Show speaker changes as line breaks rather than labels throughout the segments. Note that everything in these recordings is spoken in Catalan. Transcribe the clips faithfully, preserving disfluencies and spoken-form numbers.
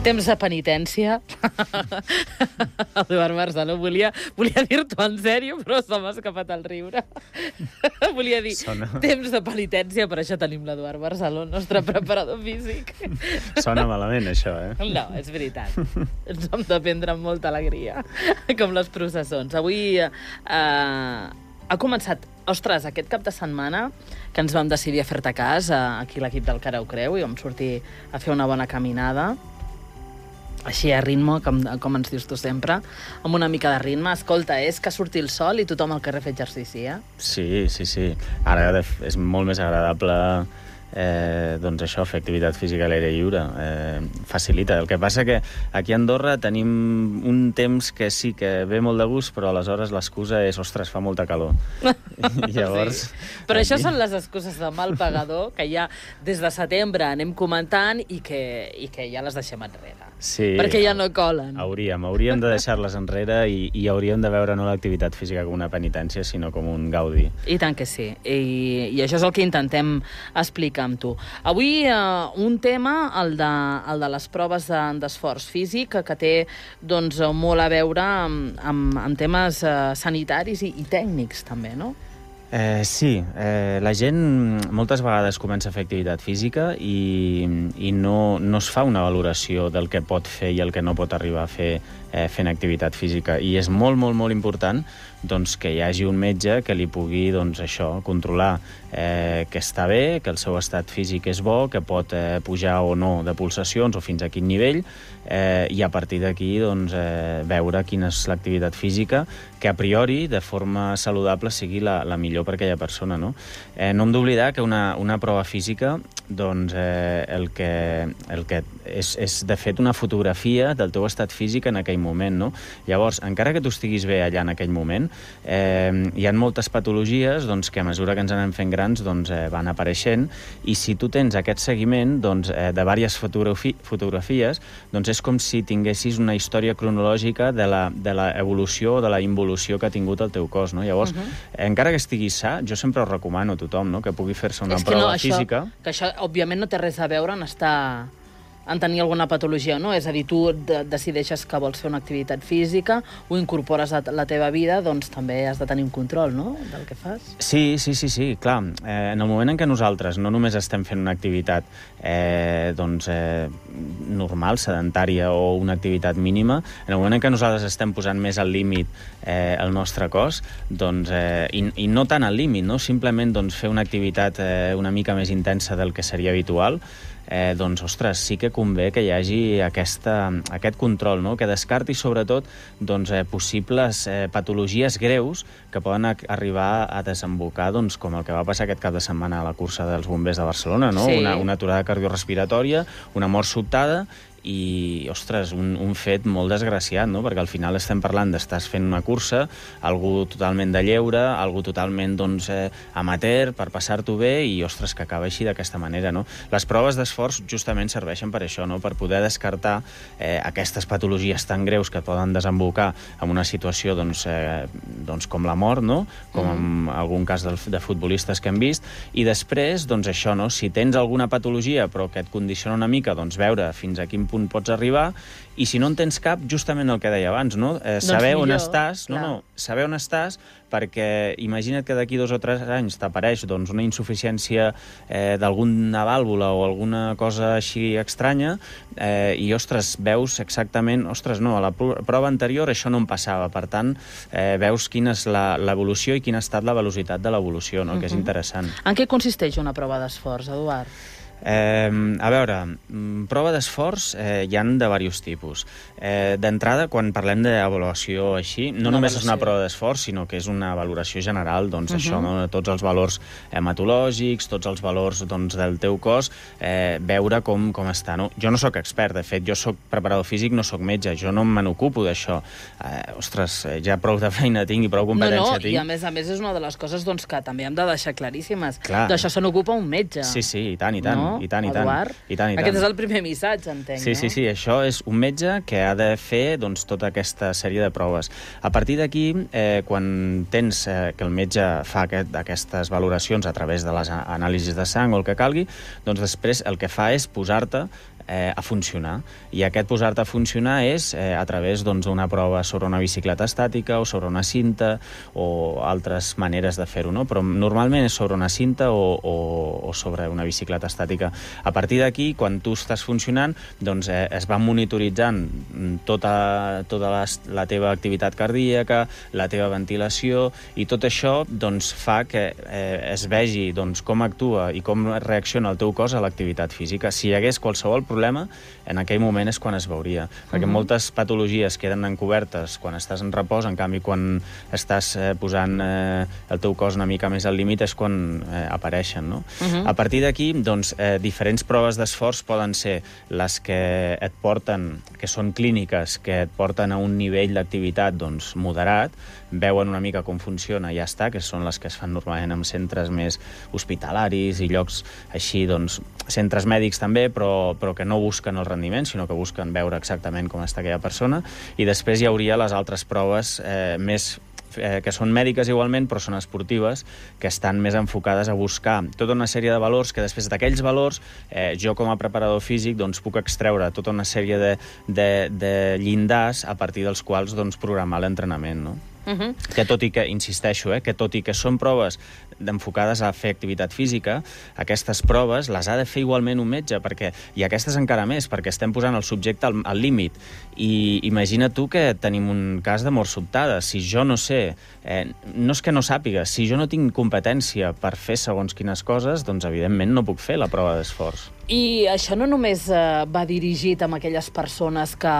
Temps de penitència. Eduard Barceló, volia, volia dir-t'ho en sèrio, però se m'ha escapat el riure. Volia dir, Sona... temps de penitència, per això tenim l'Eduard Barceló, el nostre preparador físic.
Sona malament, això, eh?
No, és veritat. Ens hem de prendre amb molta alegria, com les processons. Avui eh, ha començat, ostres, aquest cap de setmana que ens vam decidir a fer-te cas, eh, aquí l'equip del Cara ho creu, i vam sortir a fer una bona caminada, així a ritme, com, com ens dius tu sempre, amb una mica de ritme. Escolta, és que surti el sol i tothom al carrer fa exercici, eh?
Sí, sí, sí. Ara és molt més agradable eh, doncs això, fer activitat física a l'aire lliure. Eh, facilita. El que passa que aquí a Andorra tenim un temps que sí que ve molt de gust, però aleshores l'excusa és, ostres, fa molta calor. I llavors...
Sí. Però aquí... això són les excuses de mal pagador que ja des de setembre anem comentant i que, i que ja les deixem enrere.
Sí,
perquè ja no colen.
Hauríem, hauríem de deixar-les enrere i, i hauríem de veure no l'activitat física com una penitència, sinó com un gaudi.
I tant que sí. I, i això és el que intentem explicar amb tu. Avui eh, un tema, el de, el de les proves d'esforç físic, que, que té doncs, molt a veure amb, amb, amb temes eh, sanitaris i, i tècnics també, no?
Eh, sí, eh, la gent moltes vegades comença a fer activitat física i, i no, no es fa una valoració del que pot fer i el que no pot arribar a fer eh, fent activitat física. I és molt, molt, molt important doncs, que hi hagi un metge que li pugui doncs, això, controlar eh, que està bé, que el seu estat físic és bo, que pot eh, pujar o no de pulsacions o fins a quin nivell, eh, i a partir d'aquí doncs, eh, veure quina és l'activitat física que a priori, de forma saludable, sigui la, la millor per aquella persona. No, eh, no hem d'oblidar que una, una prova física doncs, eh, el que, el que és, és, de fet, una fotografia del teu estat físic en aquell moment. No? Llavors, encara que tu estiguis bé allà en aquell moment, eh, hi ha moltes patologies doncs, que a mesura que ens anem fent grans doncs, eh, van apareixent, i si tu tens aquest seguiment doncs, eh, de diverses fotografi fotografies, doncs és com si tinguessis una història cronològica de l'evolució o de la involució que ha tingut el teu cos. No? Llavors, uh -huh. eh, encara que estiguis sa, jo sempre ho recomano a tothom, no? Que pugui fer-se una
és
prova
no, això,
física.
Que això, òbviament, no té res a veure en estar... en tenir alguna patologia, no? És a dir, tu de decideixes que vols fer una activitat física, ho incorpores a la teva vida, doncs també has de tenir un control, no?, del que fas.
Sí, sí, sí, sí, clar. Eh, en el moment en què nosaltres no només estem fent una activitat eh, doncs, eh, normal, sedentària o una activitat mínima, en el moment en què nosaltres estem posant més al límit eh, el nostre cos, doncs, eh, i, i no tant al límit, no? Simplement doncs, fer una activitat eh, una mica més intensa del que seria habitual, Eh, doncs, ostres, sí que convé que hi hagi aquesta, aquest control, no? Que descarti, sobretot, doncs, eh, possibles eh, patologies greus que poden arribar a desembocar, doncs, com el que va passar aquest cap de setmana a la cursa dels bombers de Barcelona, no?
Sí.
Una, una aturada cardiorrespiratòria, una mort sobtada, i, ostres, un, un fet molt desgraciat, no? Perquè al final estem parlant d'estàs fent una cursa, algú totalment de lleure, algú totalment, doncs, eh, amateur, per passar-t'ho bé, i, ostres, que acaba així d'aquesta manera, no? Les proves d'esforç justament serveixen per això, no? Per poder descartar eh, aquestes patologies tan greus que poden desembocar en una situació, doncs, eh, doncs com la mort, no? Com en algun cas de, de futbolistes que hem vist, i després, doncs, això, no? Si tens alguna patologia però que et condiciona una mica, doncs, veure fins a quin punt pots arribar, i si no en tens cap, justament el que deia abans, no? Eh, saber doncs millor, on estàs, no, no, saber on estàs, perquè imagina't que d'aquí dos o tres anys t'apareix doncs, una insuficiència eh, d'alguna vàlvula o alguna cosa així estranya, eh, i, ostres, veus exactament, ostres, no, a la prova anterior això no em passava, per tant, eh, veus quina és l'evolució i quina ha estat la velocitat de l'evolució, no? Uh-huh. Que és interessant.
En què consisteix una prova d'esforç, Eduard?
Eh, a veure, prova d'esforç eh, hi ha de diversos tipus. Eh, D'entrada, quan parlem d'avaluació així, no una només avaluació. És una prova d'esforç, sinó que és una valoració general, doncs, uh-huh. això, no? Tots els valors hematològics, tots els valors doncs, del teu cos, eh, veure com, com està. No? Jo no sóc expert, de fet, jo sóc preparador físic, no sóc metge, jo no me n'ocupo d'això. Eh, ostres, ja prou de feina tinc i prou competència
no, no,
tinc.
I a més a més és una de les coses doncs, que també hem de deixar claríssimes.
Clar.
D'això se n'ocupa un metge.
Sí, sí, i tant, i tant.
No?
I tant, i tant.
Eduard?
I tant, i tant.
Aquest és el primer missatge, entenc,
sí,
no?
Sí, sí, això és un metge que ha de fer doncs, tota aquesta sèrie de proves. A partir d'aquí, eh, quan tens eh, que el metge fa aquest, aquestes valoracions a través de les anàlisis de sang o el que calgui, doncs després el que fa és posar-te eh, a funcionar. I aquest posar-te a funcionar és eh, a través doncs, d'una prova sobre una bicicleta estàtica o sobre una cinta o altres maneres de fer-ho, no? Però normalment és sobre una cinta o, o, o sobre una bicicleta estàtica. A partir d'aquí, quan tu estàs funcionant, doncs eh, es va monitoritzant tota, tota la, la teva activitat cardíaca, la teva ventilació, i tot això doncs, fa que eh, es vegi doncs, com actua i com reacciona el teu cos a l'activitat física. Si hi hagués qualsevol problema, en aquell moment és quan es veuria. Perquè uh-huh. moltes patologies queden encobertes quan estàs en repòs, en canvi, quan estàs eh, posant eh, el teu cos una mica més al límit és quan eh, apareixen, no? Uh-huh. A partir d'aquí, doncs, eh, diferents proves d'esforç poden ser les que et porten, que són clíniques, que et porten a un nivell d'activitat doncs, moderat, veuen una mica com funciona i ja està, que són les que es fan normalment en centres més hospitalaris i llocs així, doncs, centres mèdics també, però, però que no busquen el rendiment, sinó que busquen veure exactament com està aquella persona. I després hi hauria les altres proves eh, més eh, que són mèdiques igualment, però són esportives, que estan més enfocades a buscar tota una sèrie de valors que després d'aquells valors eh, jo com a preparador físic doncs, puc extreure tota una sèrie de, de, de llindars a partir dels quals doncs, programar l'entrenament, no? Uh-huh. Que tot i que, insisteixo, eh, que tot i que són proves enfocades a fer activitat física, aquestes proves les ha de fer igualment un metge, perquè, i aquestes encara més, perquè estem posant el subjecte al, al límit. I imagina tu que tenim un cas de mort sobtada. Si jo no sé, eh, no és que no sàpiga, si jo no tinc competència per fer segons quines coses, doncs evidentment no puc fer la prova d'esforç.
I això no només eh, va dirigit a aquelles persones que,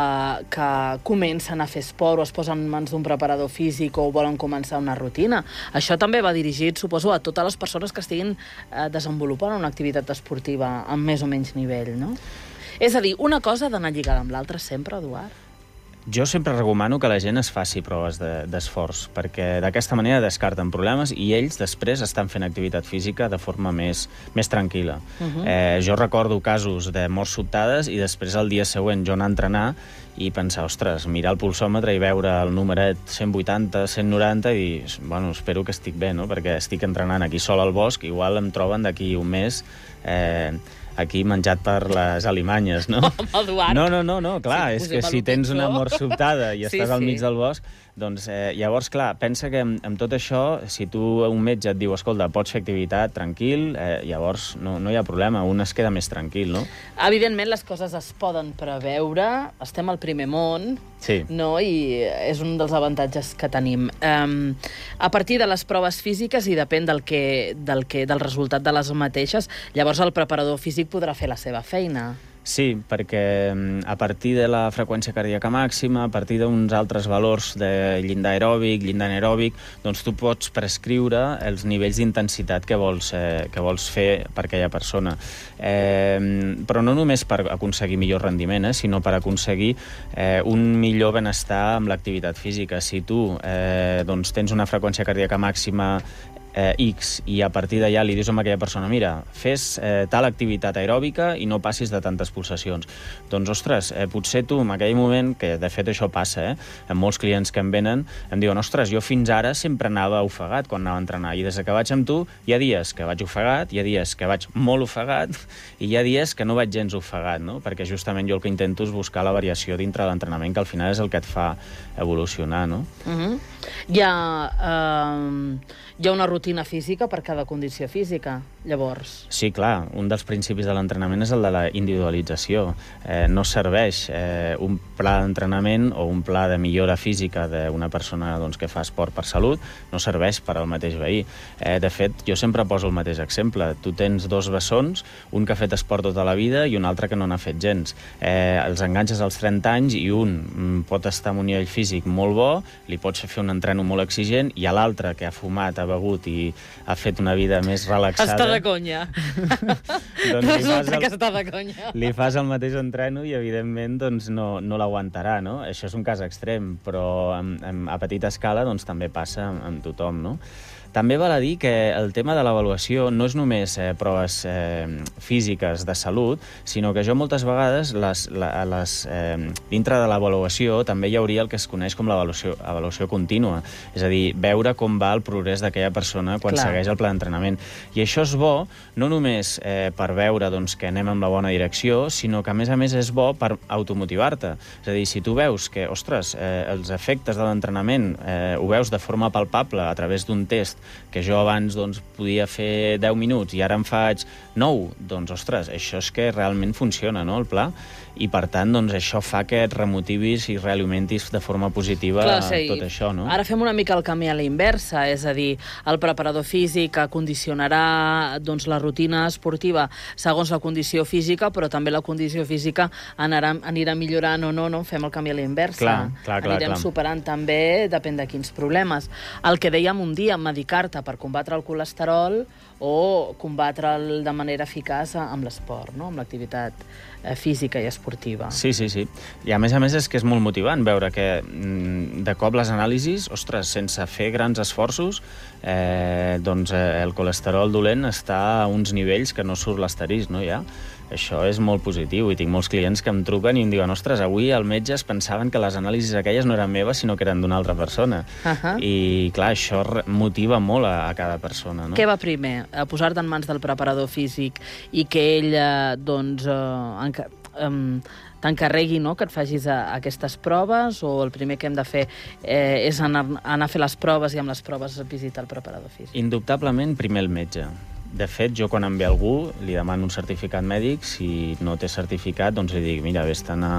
que comencen a fer esport o es posen en mans d'un preparador físic o volen començar una rutina. Això també va dirigit, suposo, a totes les persones que estiguin eh, desenvolupant una activitat esportiva amb més o menys nivell, no? És a dir, una cosa ha d'anar lligada amb l'altra sempre, Eduard?
Jo sempre recomano que la gent es faci proves d'esforç, de, perquè d'aquesta manera descarten problemes i ells després estan fent activitat física de forma més, més tranquil·la. Uh-huh. eh, jo recordo casos de morts sobtades i després el dia següent jo anar a entrenar i pensar, ostres, mirar el pulsòmetre i veure el numeret cent vuitanta, cent noranta i dir, bueno, espero que estic bé, no? Perquè estic entrenant aquí sol al bosc, igual em troben d'aquí un mes eh, aquí menjat per les alimanyes, no?
Home, Eduard.
No, no, no, no, clar,
Sí,
és que si tens una mort sobtada i
Sí,
estàs al
sí.
mig del bosc, doncs eh, llavors, clar, pensa que amb, amb tot això, si tu un metge et diu, escolta, pots fer activitat tranquil, eh, llavors no, no hi ha problema, un es queda més tranquil, no?
Evidentment, les coses es poden preveure, estem al primer món,
Sí.
no? I és un dels avantatges que tenim. Um, a partir de les proves físiques i depèn del, que, del, que, del resultat de les mateixes, llavors el preparador físic podrà fer la seva feina.
Sí, perquè a partir de la freqüència cardíaca màxima, a partir d'uns altres valors de llindar aeròbic, llindar anaeròbic, doncs tu pots prescriure els nivells d'intensitat que vols, eh, que vols fer per aquella persona. Eh, però no només per aconseguir millor rendiment, eh, sinó per aconseguir eh, un millor benestar amb l'activitat física. Si tu eh, doncs tens una freqüència cardíaca màxima Eh, X, i a partir d'allà li dius a aquella persona, mira, fes eh, tal activitat aeròbica i no passis de tantes pulsacions. Doncs, ostres, eh, potser tu en aquell moment, que de fet això passa, eh, amb molts clients que em venen, em diuen, ostres, jo fins ara sempre anava ofegat quan anava a entrenar, i des que vaig amb tu hi ha dies que vaig ofegat, hi ha dies que vaig molt ofegat, i hi ha dies que no vaig gens ofegat, no? Perquè justament jo el que intento és buscar la variació dintre de l'entrenament, que al final és el que et fa evolucionar, no?
Uh-huh. Hi ha, uh, hi ha una rutina física per cada condició física, llavors.
Sí, clar, un dels principis de l'entrenament és el de la individualització. Eh, no serveix eh, un pla d'entrenament o un pla de millora física d'una persona doncs, que fa esport per salut, no serveix per al mateix veí. Eh, de fet, jo sempre poso el mateix exemple. Tu tens dos bessons, un que ha fet esport tota la vida i un altre que no n'ha fet gens. Eh, els enganxes als trenta anys i un mm, pot estar en un nivell físic molt bo, li pots fer un entreno molt exigent, i a l'altre que ha fumat, ha begut i ha fet una vida més relaxada...
Està de conya.
doncs
Resulta
el,
que està de conya.
li fas el mateix entreno i, evidentment, doncs, no, no l'aguantarà, no? Això és un cas extrem, però en, en, a petita escala doncs, també passa amb, amb tothom, no? També val a dir que el tema de l'avaluació no és només eh, proves eh, físiques de salut, sinó que jo moltes vegades, les, la, les, eh, dintre de l'avaluació, també hi hauria el que es coneix com l'avaluació avaluació contínua. És a dir, veure com va el progrés d'aquella persona quan Clar. segueix el pla d'entrenament. I això és bo, no només eh, per veure doncs, que anem en la bona direcció, sinó que, a més a més, és bo per automotivar-te. És a dir, si tu veus que, ostres, eh, els efectes de l'entrenament eh, ho veus de forma palpable a través d'un test que jo abans doncs, podia fer deu minuts i ara en faig nou, doncs, ostres, això és que realment funciona, no?, el pla, i per tant, doncs, això fa que et remotivis i realimentis de forma positiva Clar, sí. tot això, no?
Ara fem una mica el camí a la inversa, és a dir, el preparador físic condicionarà doncs, la rutina esportiva segons la condició física, però també la condició física anarà, anirà millorant o no, no? Fem el camí a la inversa.
Clar, clar, clar,
Anirem
clar.
superant també, depèn de quins problemes. El que dèiem un dia, medicar-te per combatre el colesterol o combatre'l de manera eficaç amb l'esport, no? Amb l'activitat física i esportiva.
Sí, sí, sí. I a més a més és que és molt motivant veure que de cop les anàlisis, ostres, sense fer grans esforços, eh, doncs eh, el colesterol dolent està a uns nivells que no surt l'asterisc, no, ja? Això és molt positiu i tinc molts clients que em truquen i em diuen, ostres, avui el metge es pensaven que les anàlisis aquelles no eren meves, sinó que eren d'una altra persona. Uh -huh. I, clar, això motiva molt a, a cada persona, no?
Què va primer? Posar-te en mans del preparador físic i que ell, eh, doncs, eh, enca um, t'encarregui, no?, que et facis a, aquestes proves, o el primer que hem de fer eh, és anar, anar a fer les proves i amb les proves visitar el preparador físic?
Indubtablement, primer el metge. De fet, jo quan em ve algú li demano un certificat mèdic, si no té certificat, doncs li dic, mira, vés-te'n a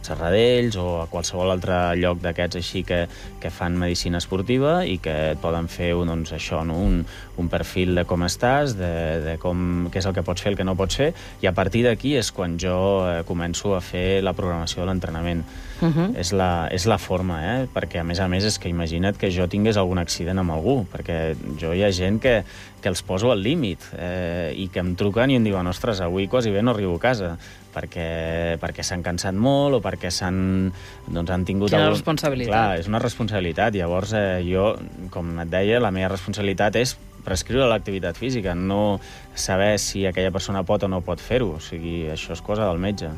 Serradells o a qualsevol altre lloc d'aquests així que, que fan medicina esportiva i que et poden fer doncs, això, no? un, un perfil de com estàs, de, de com, què és el que pots fer, el que no pots fer, i a partir d'aquí és quan jo eh, començo a fer la programació de l'entrenament. Uh -huh. és, la, és la forma, eh? Perquè a més a més és que imagina't que jo tingués algun accident amb algú, perquè jo hi ha gent que, que els poso al límit eh, i que em truquen i em diuen, ostres, avui quasi bé no arribo a casa perquè, perquè s'han cansat molt o perquè s'han doncs, han tingut...
Quina
algun...
responsabilitat.
Clar, és una responsabilitat. Llavors, eh, jo, com et deia, la meva responsabilitat és prescriure l'activitat física, no saber si aquella persona pot o no pot fer-ho. O sigui, això és cosa del metge.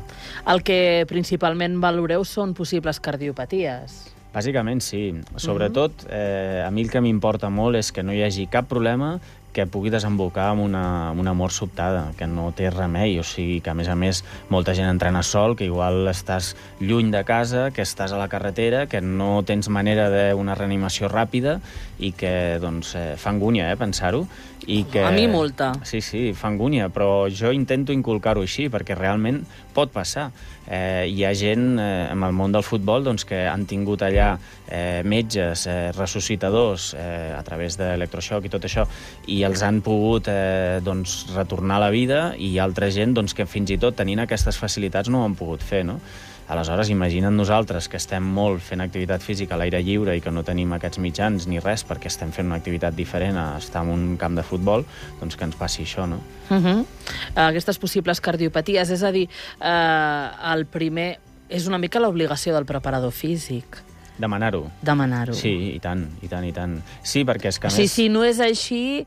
El que
principalment valoreu són possibles cardiopaties.
Bàsicament, sí. Sobretot, eh, a mi el que m'importa molt és que no hi hagi cap problema que pugui desembocar en una, una mort sobtada, que no té remei, o sigui, que a més a més molta gent entrena sol, que igual estàs lluny de casa, que estàs a la carretera, que no tens manera d'una reanimació ràpida i que, doncs, eh, fa angúnia, eh, pensar-ho. I que...
A mi molta.
Sí, sí, fa angúnia, però jo intento inculcar-ho així, perquè realment pot passar. Eh, hi ha gent eh, en el món del futbol doncs, que han tingut allà eh, metges, eh, ressuscitadors, eh, a través d'electroxoc i tot això, i els han pogut eh, doncs, retornar a la vida, i hi ha altra gent doncs, que fins i tot tenint aquestes facilitats no ho han pogut fer, no? Aleshores, imagina't nosaltres que estem molt fent activitat física a l'aire lliure i que no tenim aquests mitjans ni res perquè estem fent una activitat diferent a estar en un camp de futbol, doncs que ens passi això, no?
Uh -huh. Aquestes possibles cardiopaties, és a dir, eh, el primer és una mica l'obligació del preparador físic.
Demanar-ho.
Demanar-ho.
Sí, i tant, i tant, i tant. Sí, perquè és que a
sí,
més...
Si no és així,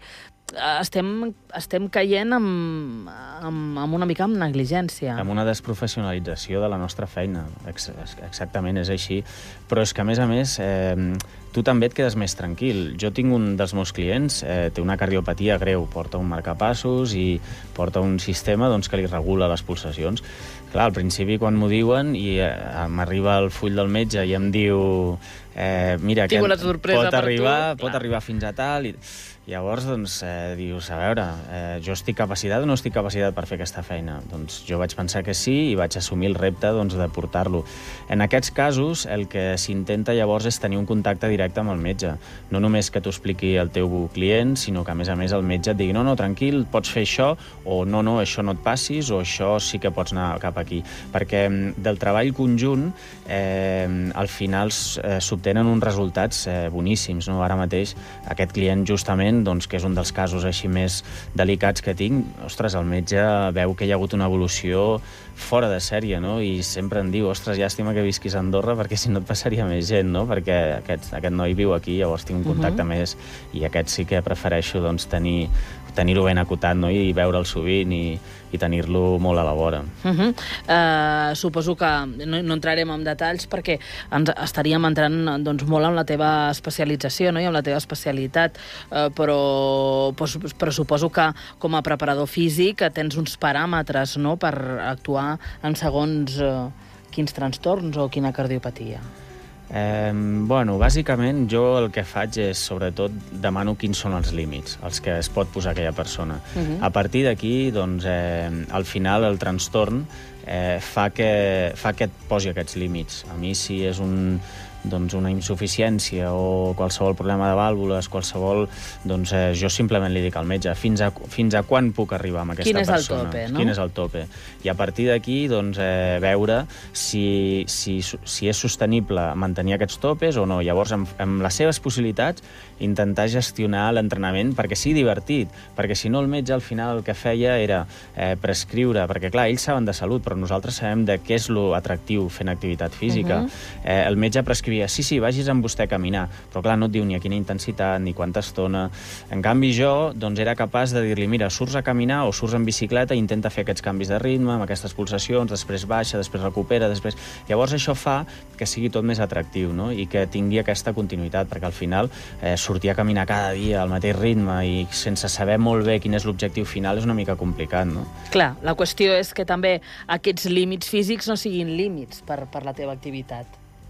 estem, estem caient amb, amb, amb una mica amb negligència.
Amb una desprofessionalització de la nostra feina. Ex exactament, és així. Però és que, a més a més, eh, tu també et quedes més tranquil. Jo tinc un dels meus clients, eh, té una cardiopatia greu, porta un marcapassos i porta un sistema doncs, que li regula les pulsacions. Clar, al principi, quan m'ho diuen, i eh, m'arriba el full del metge i em diu eh, mira, que pot arribar, pot arribar fins a tal... I... Llavors, doncs, eh, dius, a veure, eh, jo estic capacitat o no estic capacitat per fer aquesta feina? Doncs jo vaig pensar que sí i vaig assumir el repte doncs, de portar-lo. En aquests casos, el que s'intenta llavors és tenir un contacte directe amb el metge. No només que t'ho expliqui el teu client, sinó que, a més a més, el metge et digui no, no, tranquil, pots fer això, o no, no, això no et passis, o això sí que pots anar cap aquí. Perquè del treball conjunt, eh, al final eh, s'obtenen uns resultats eh, boníssims. No? Ara mateix, aquest client, justament, moment, doncs, que és un dels casos així més delicats que tinc, ostres, el metge veu que hi ha hagut una evolució fora de sèrie, no? I sempre em diu, ostres, llàstima que visquis a Andorra perquè si no et passaria més gent, no? Perquè aquest, aquest noi viu aquí, llavors tinc un contacte uh -huh. més, i aquest sí que prefereixo doncs, tenir tenir-ho ben acotat, no? I veure'l sovint i, i tenir-lo molt a la vora.
Uh -huh. uh, suposo que no, no entrarem en detalls perquè ens estaríem entrant doncs, molt en la teva especialització, no? I en la teva especialitat, uh, però, però, però suposo que com a preparador físic tens uns paràmetres, no?, per actuar en segons uh, quins trastorns o quina cardiopatia.
Eh, bueno, bàsicament jo el que faig és, sobretot, demano quins són els límits, els que es pot posar aquella persona. Uh-huh. A partir d'aquí, doncs, eh, al final el trastorn eh, fa, que, fa que et posi aquests límits. A mi, si és un, doncs, una insuficiència o qualsevol problema de vàlvules, qualsevol, doncs eh, jo simplement li dic al metge fins a, fins a quan puc arribar amb aquesta
Quin és
persona.
El tope, no?
Quin és el tope. I a partir d'aquí, doncs, eh, veure si, si, si és sostenible mantenir aquests topes o no. Llavors, amb, amb les seves possibilitats, intentar gestionar l'entrenament perquè sigui divertit, perquè si no el metge al final el que feia era eh, prescriure, perquè clar, ells saben de salut, però nosaltres sabem de què és lo atractiu fent activitat física. Uh-huh. eh, el metge prescrivia, sí, sí, vagis amb vostè a caminar, però clar, no et diu ni a quina intensitat, ni quanta estona. En canvi jo, doncs, era capaç de dir-li, mira, surts a caminar o surts en bicicleta i intenta fer aquests canvis de ritme, amb aquestes pulsacions, després baixa, després recupera, després... Llavors això fa que sigui tot més atractiu, no? I que tingui aquesta continuïtat, perquè al final eh, sortir a caminar cada dia al mateix ritme i sense saber molt bé quin és l'objectiu final és una mica complicat, no?
Clar, la qüestió és que també aquests límits físics no siguin límits per, per la teva activitat.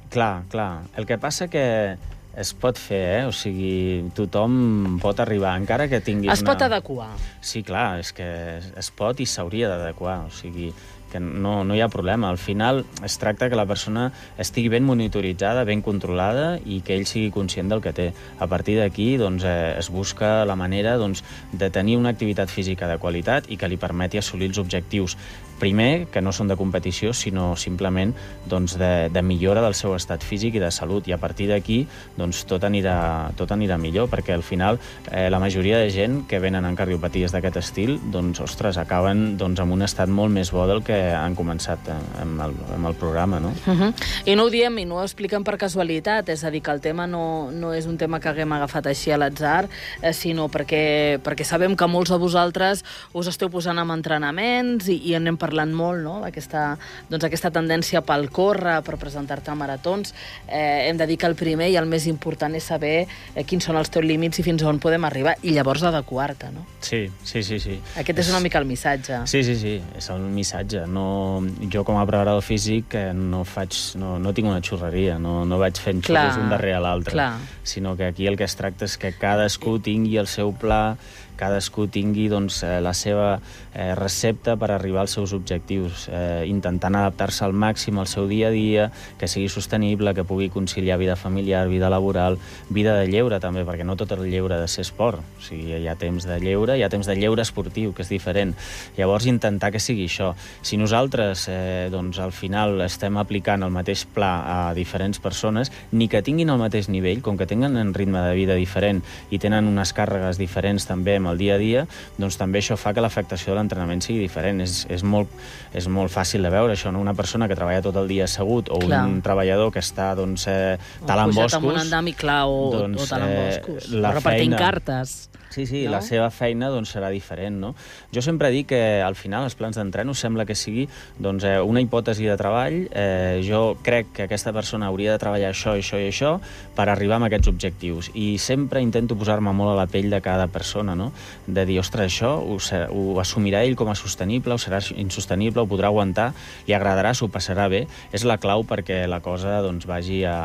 Clar, clar. El que passa que es pot fer, eh? O sigui, tothom pot arribar, encara que tinguis
Es
una...
pot adequar.
Sí, clar, és que es pot i s'hauria d'adequar, o sigui, que no, no hi ha problema. Al final es tracta que la persona estigui ben monitoritzada, ben controlada i que ell sigui conscient del que té. A partir d'aquí doncs, eh, es busca la manera doncs, de tenir una activitat física de qualitat i que li permeti assolir els objectius. Primer, que no són de competició, sinó simplement doncs, de, de millora del seu estat físic i de salut. I a partir d'aquí doncs, tot, anirà, tot anirà millor, perquè al final eh, la majoria de gent que venen amb cardiopaties d'aquest estil doncs, ostres, acaben doncs, amb un estat molt més bo del que han començat amb el, amb el programa, no?
Uh-huh. I no ho diem i no ho expliquem per casualitat, és a dir, que el tema no, no és un tema que haguem agafat així a l'atzar, eh, sinó perquè, perquè sabem que molts de vosaltres us esteu posant amb entrenaments i, i anem parlant molt, no?, d'aquesta doncs, aquesta tendència pel córrer, per presentar-te a maratons. Eh, hem de dir que el primer i el més important és saber eh, quins són els teus límits i fins on podem arribar, i llavors adequar-te, no?
Sí, sí, sí, sí.
Aquest és, és una mica el missatge.
Sí, sí, sí, és el missatge. No, jo com a preparador físic eh, no, faig, no, no tinc una xurreria, no, no vaig fent xurros un darrere l'altre, sinó que aquí el que es tracta és que cadascú tingui el seu pla, cadascú tingui doncs, la seva eh, recepta per arribar als seus objectius, eh, intentant adaptar-se al màxim al seu dia a dia, que sigui sostenible, que pugui conciliar vida familiar, vida laboral, vida de lleure també, perquè no tot el lleure ha de ser esport. O sigui, hi ha temps de lleure, hi ha temps de lleure esportiu, que és diferent. Llavors, intentar que sigui això. Si nosaltres, eh, doncs, al final estem aplicant el mateix pla a diferents persones, ni que tinguin el mateix nivell, com que tenen un ritme de vida diferent i tenen unes càrregues diferents també amb el dia a dia, doncs també això fa que l'afectació de l'entrenament sigui diferent. És, és, molt, és molt fàcil de veure això, no? Una persona que treballa tot el dia assegut o Clar. un treballador que està doncs, eh, talant boscos... O pujat amb un
andami, clar, o, doncs, o talant boscos, eh, o repartint feina... cartes.
Sí, sí,
no?
La seva feina doncs, serà diferent, no? Jo sempre dic que al final els plans d'entreno sembla que sigui doncs, eh, una hipòtesi de treball. Eh, jo crec que aquesta persona hauria de treballar això, això i això per arribar a aquests objectius. I sempre intento posar-me molt a la pell de cada persona, no? De dir, ostres, això ho, ho assumirà ell com a sostenible, o serà insostenible, ho podrà aguantar, li agradarà, s'ho passarà bé. És la clau perquè la cosa doncs, vagi a...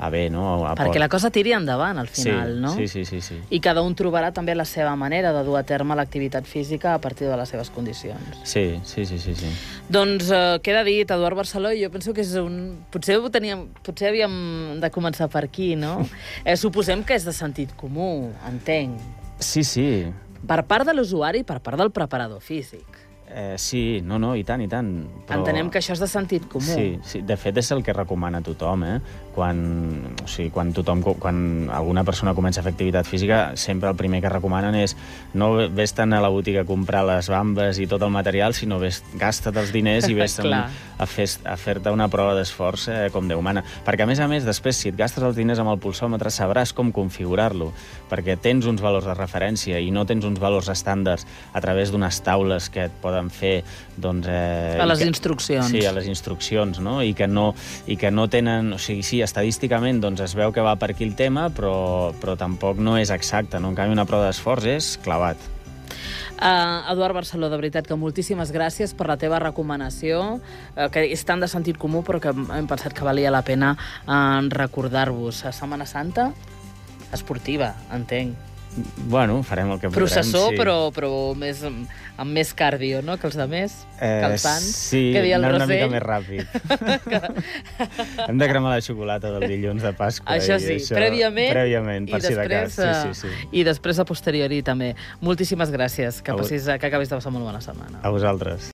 a bé, no? A
Perquè la cosa tiri endavant, al final,
sí,
no?
Sí, sí, sí, sí.
I cada un trobarà també la seva manera de dur a terme l'activitat física a partir de les seves condicions.
Sí, sí, sí, sí. sí.
Doncs eh, queda dit, Eduard Barceló, jo penso que és un... Potser ho teníem... Potser havíem de començar per aquí, no? eh, suposem que és de sentit comú, entenc.
Sí, sí.
Per part de l'usuari i per part del preparador físic.
Eh, sí, no, no, i tant, i tant.
Però... Entenem que això és de sentit comú.
Sí, sí, de fet és el que recomana tothom, eh? quan, o sigui, quan tothom, quan alguna persona comença a fer activitat física, sempre el primer que recomanen és no vés-te'n a la botiga a comprar les bambes i tot el material, sinó vés, gasta't els diners i vés-te'n a, fer, a fer-te una prova d'esforç eh, com Déu mana. Perquè, a més a més, després, si et gastes els diners amb el pulsòmetre, sabràs com configurar-lo, perquè tens uns valors de referència i no tens uns valors estàndards a través d'unes taules que et poden fer... Doncs, eh,
a les
que,
instruccions.
Sí, a les instruccions, no? I que no, i que no tenen... O sigui, sí, estadísticament doncs, es veu que va per aquí el tema, però, però tampoc no és exacte, no? En canvi, una prova d'esforç és clavat.
Uh, Eduard Barceló, de veritat que moltíssimes gràcies per la teva recomanació, uh, que és tan de sentit comú, però que hem pensat que valia la pena uh, recordar-vos. A Setmana Santa, esportiva, entenc.
Bueno, farem el que podrem.
Processó,
sí.
però, però més, amb més cardio, no?, que els altres, eh, que els sants.
Sí,
que
anar una mica més ràpid. Hem de cremar la xocolata del dilluns de Pasqua.
Això sí,
això,
prèviament,
prèviament per
i,
si
després,
de cas. Sí, sí, sí.
i després a posteriori també. Moltíssimes gràcies, que, passis, que acabis de passar molt bona setmana.
A vosaltres.